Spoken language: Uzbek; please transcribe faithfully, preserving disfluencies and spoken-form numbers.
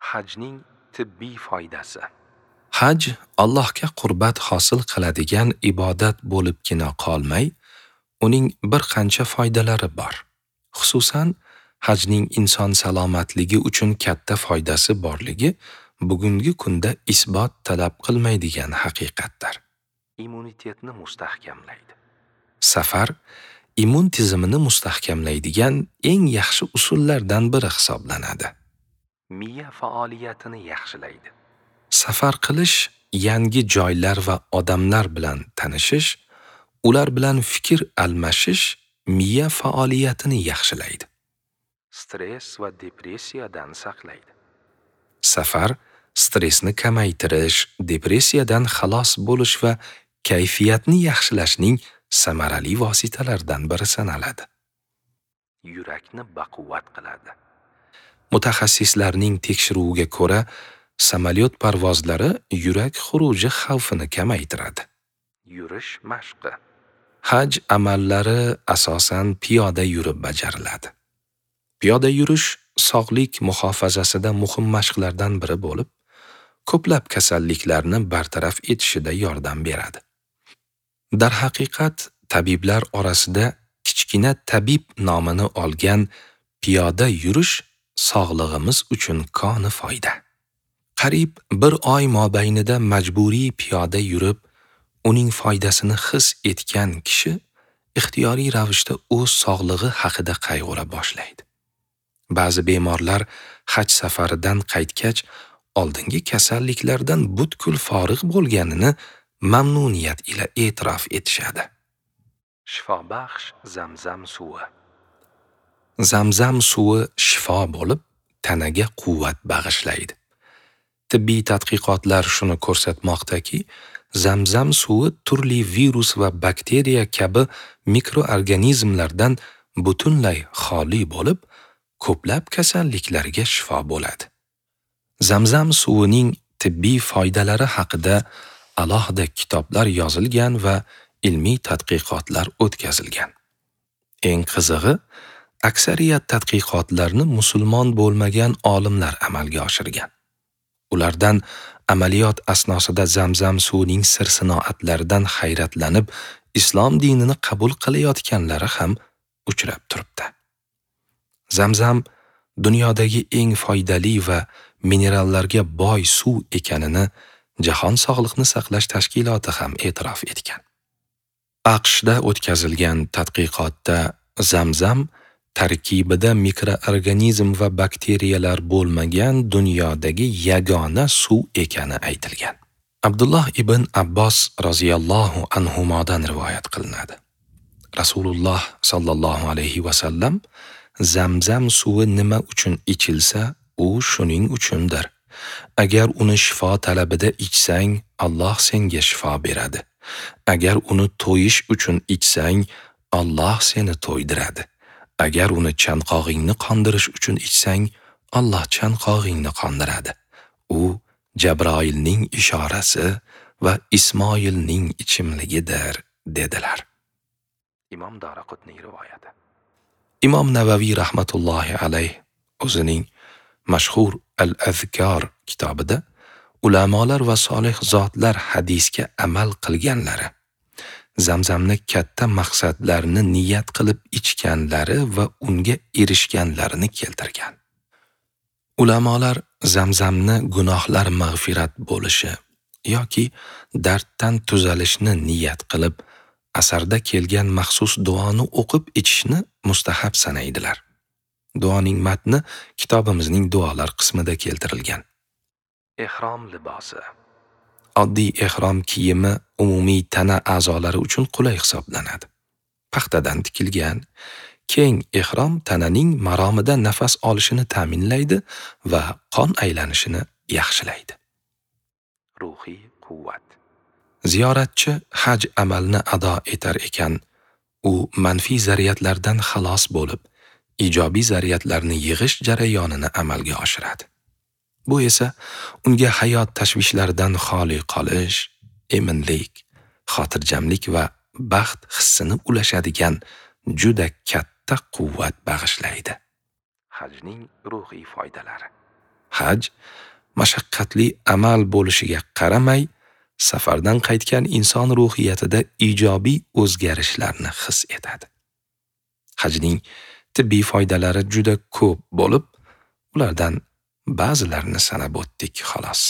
Hajning tibbiy foydasi. Haj Allohga qurbat hosil qiladigan ibodat bo'libgina qolmay, uning bir qancha foydalari bor. Xususan, hajning inson salomatligi uchun katta foydasi borligi bugungi kunda isbot talab qilmaydigan haqiqatdir. Immunitetni mustahkamlaydi. Safar immun tizimini mustahkamlaydigan eng yaxshi usullardan biri hisoblanadi. Miya faoliyatini yaxshilaydi. Safar qilish, yangi joylar va odamlar bilan tanishish, ular bilan fikr almashish miya faoliyatini yaxshilaydi. Stress va depressiyadan saqlaydi. Safar stressni kamaytirish, depressiyadan xalos bo'lish va kayfiyatni yaxshilashning samarali vositalaridan biri sanaladi. Yurakni baquvvat qiladi. Mutaxassislarning tekshiruviga ko'ra, samolyot parvozlari yurak xuruji xavfini kamaytiradi. Yurish mashqi. Haj amallari asosan piyoda yurib bajariladi. Piyoda yurish sog'lik muhofazasida muhim mashqlardan biri bo'lib, ko'plab kasalliklarni bartaraf etishida yordam beradi. Darhaqiqat, tabiblar orasida kichkina tabib nomini olgan piyoda yurish sog'lig'imiz uchun koni foyda. Qariyb bir oy mobaynida majburiy piyoda yurib, uning foydasini his etgan kishi ixtiyoriy ravishda o'z sog'lig'i haqida qayg'ura boshlaydi. Ba'zi bemorlar haj safaridan qaytgach, oldingi kasalliklardan butkul forig' bo'lganini mamnuniyat ila e'tirof etishadi. Shifobaxsh Zamzam suvi. Zamzam suvi shifo bo'lib, tanaga quvvat bag'ishlaydi. Tibbiy tadqiqotlar shuni ko'rsatmoqdaki, Zamzam suvi turli virus va bakteriya kabi mikroorganizmlardan butunlay xoli bo'lib, ko'plab kasalliklarga shifo bo'ladi. Zamzam suvining tibbiy foydalari haqida alohida kitoblar yozilgan va ilmiy tadqiqotlar o'tkazilgan. Eng qizig'i, aksariyat tadqiqotlarni musulmon bo'lmagan olimlar amalga oshirgan. Ulardan amaliyot asnosida Zamzam suvining sir-sinoatlaridan hayratlanib, islom dinini qabul qilayotganlari ham uchrab turibdi. Zamzam dunyodagi eng foydali va minerallarga boy suv ekanini Jahon Sog'liqni Saqlash Tashkiloti ham e'tirof etgan. A Q Shda o'tkazilgan tadqiqotda Zamzam tarkibida mikroorganizm va bakteriyalar bo'lmagan dunyodagi yagona suv ekani aytilgan. Abdulloh ibn Abbos roziyallohu anhumodan rivoyat qilinadi. Rasululloh sallallohu alayhi va sallam Zamzam suvi nima uchun ichilsa, u shuning uchundir. Agar uni shifo talabida ichsang, Alloh senga shifo beradi. Agar uni to'yish uchun ichsang, Alloh seni to'ydiradi. Agar uni chanqog'ingni qondirish uchun ichsang, Alloh chanqog'ingni qondiradi. U Jabroilning ishorasi va Ismoilning ichimligidir, dedilar. Imom Daraqutniy rivoyati. Imom Navaviy rahmatullohi alayh o'zining mashhur Al-Azkor kitobida ulamolar va solih zotlar hadisga amal qilganlari, Zamzamni katta maqsadlarni niyat qilib ichganlari va unga erishganlarini keltirgan. Ulamolar Zamzamni gunohlar mag'firat bo'lishi yoki darddan tuzalishni niyat qilib, asarda kelgan maxsus duoni o'qib ichishni mustahab sanaydilar. Duoning matni kitobimizning duolar qismida keltirilgan. Ehrom libosi. Oddiy ehrom kiyimi umumiy tana a'zolari uchun qulay hisoblanadi. Paxtadan tikilgan keng ehrom tananing maromida nafas olishini ta'minlaydi va qon aylanishini yaxshilaydi. Ruhiy quvvat. Ziyoratchi haj amalini ado etar ekan, u manfiy zaryadlardan xalos bo'lib, ijobiy zaryadlarni yig'ish jarayonini amalga oshiradi. Bu esa unga hayot tashvishlaridan xoli qolish, eminlik, xotirjamlik va baxt hissini ulashadigan juda katta quvvat bag'ishlaydi. Hajning ruhiy foydalari. Haj mashaqqatli amal bo'lishiga qaramay, safardan qaytgan inson ruhiyatida ijobiy o'zgarishlarni his etadi. Hajning tibbiy foydalari juda ko'p bo'lib, ulardan ba'zilarini sanab o'tdik xolos.